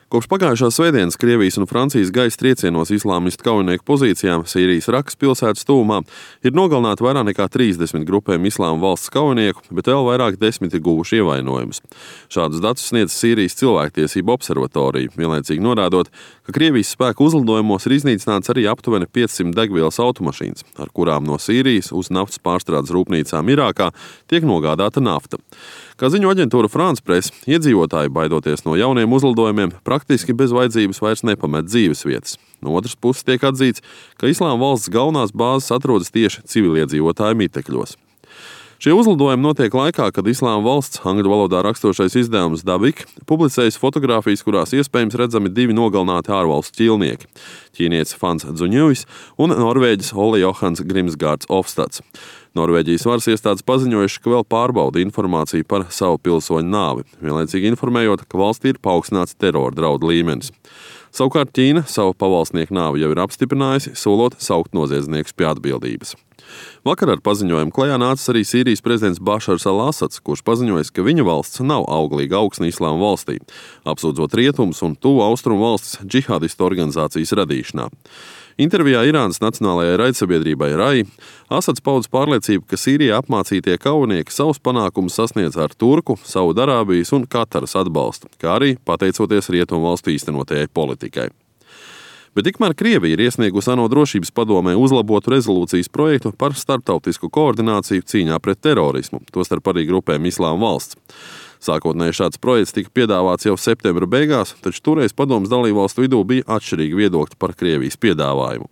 Kopš pagājušās svētdienas Krievijas un Francijas gaisa triecienos islāmistu kaujinieku pozīcijām Sīrijas Rakas pilsētas tuvumā ir nogalināti vairāk nekā 30 grupējumi Islāma valsts kaujinieku, bet vēl vairāk desmit ir guvuši ievainojumus. Šādus datus sniedz Sīrijas cilvēktiesību observatorija, vienlaicīgi norādot, ka Krievijas spēku uzlidojumos ir iznīcināts arī aptuveni 500 degvielas automašīnas, ar kurām no Sīrijas uz naftas pārstrādes rūpnīcām Irākā tiek nogādāta nafta. Kā ziņo aģentūra France Press, iedzīvotāji, baidoties no jauniem uzlidojumiem, praktiski bez vajadzības vairs nepamet dzīvesvietas. No otras puses tiek atzīts, ka Islāma valsts galvenās bāzes atrodas tieši civiliedzīvotāju mitekļos. Šie uzlidojumi notiek laikā, kad Islāma valsts angļu valodā raksturošais izdevums Davik publicējas fotogrāfijas, kurās iespējams redzami divi nogalināti ārvalstu ķīlnieki – ķīnietis Fans Dzuņujs un norvēģis Ole Johans Grimsgārds Ofstads. Norvēģijas varas iestādes paziņojuši, ka vēl pārbauda informāciju par savu pilsoņu nāvi, vienlaicīgi informējot, ka valstī ir paaugstināts terora draudu līmenis. Savukārt Ķīna savu pavalsnieku nāvi jau ir apstiprinājusi, solot saukt noziedzniekus pie atbildības. Vakar ar paziņojumu klajā nācis arī Sīrijas prezidents Bašars al-Asads, kurš paziņojis, ka viņa valsts nav auglīga augsne Islāma valstī, apsūdzot rietumus un tuvu austrumu valstis džihādistu organizācijas radīšanā. Intervijā Irānas nacionālajai raidsabiedrībai RAI Asads paudis pārliecību, ka Sīrijā apmācītie kaujinieki savus panākumus sasniedz ar Turku, Saudarābijas un Kataras atbalstu, kā arī pateicoties rietumu valstu īstenotajai politikai. Bet tikmēr Krievija ir iesniegusi ANO drošības padomē uzlabotu rezolūcijas projektu par starptautisku koordināciju cīņā pret terorismu, tostarp arī grupēm Islāma valsts. Sākotnēji šāds projekts tika piedāvāts jau septembra beigās, taču toreiz padomes dalībvalstu vidū bija atšķirīgi viedokļi par Krievijas piedāvājumu.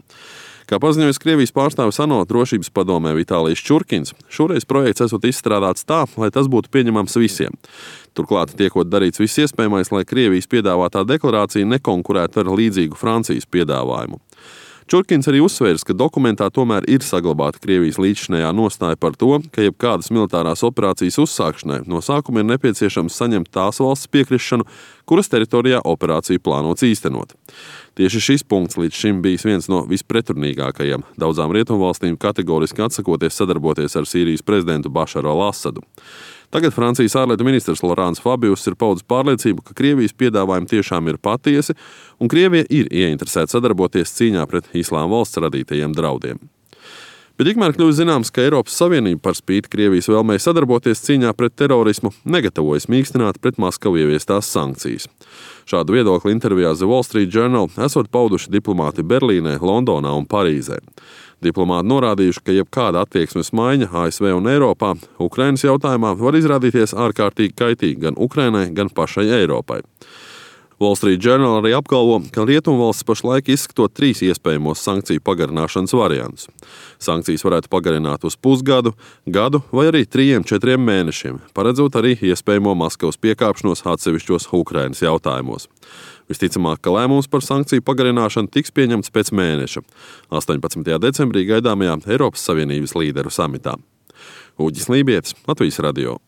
Kā paziņojis Krievijas pārstāvis ANO drošības padomē Vitālijs Čurkins, šoreiz projekts esot izstrādāts tā, lai tas būtu pieņemams visiem. Turklāt tiekot darīts viss iespējamais, lai Krievijas piedāvātā deklarācija nekonkurētu ar līdzīgu Francijas piedāvājumu. Čurkins arī uzsvērs, ka dokumentā tomēr ir saglabāta Krievijas līdzšinējā nostāja par to, ka jebkādas militārās operācijas uzsākšanai no sākuma ir nepieciešams saņemt tās valsts piekrišanu, kuras teritorijā operāciju plānots īstenot. Tieši šis punkts līdz šim bijis viens no vispretrunīgākajiem, daudzām rietumvalstīm kategoriski atsakoties sadarboties ar Sīrijas prezidentu Bašaru al-Asadu. Tagad Francijas ārlietu ministrs Laurents Fabius ir paudis pārliecību, ka Krievijas piedāvājumi tiešām ir patiesi, un Krievija ir ieinteresēta sadarboties cīņā pret Islāma valsts radītajiem draudiem. Bet tikmēr kļūst zināms, ka Eiropas Savienība par spīti Krievijas vēlmei sadarboties cīņā pret terorismu negatavojas mīkstināt pret Maskavu ieviestās sankcijas. Šādu viedokli intervijā The Wall Street Journal esot pauduši diplomāti Berlīnē, Londonā un Parīzē. Diplomāti norādījuši, ka jebkāda attieksmes maiņa ASV un Eiropā Ukrainas jautājumā var izrādīties ārkārtīgi kaitīgi gan Ukrainai, gan pašai Eiropai. Wall Street Journal arī apgalvo, ka rietumvalstis pašlaik izskatot 3 iespējamos sankciju pagarināšanas variantus. Sankcijas varētu pagarināt uz pusgadu, gadu vai arī 3–4 mēnešiem, paredzot arī iespējamo Maskavas piekāpšanos atsevišķos Ukrainas jautājumos. Visticamāk, ka lēmums par sankciju pagarināšanu tiks pieņemts pēc mēneša, 18. decembrī gaidāmajā Eiropas Savienības līderu samitā. Uģis Lībietis, Latvijas radio.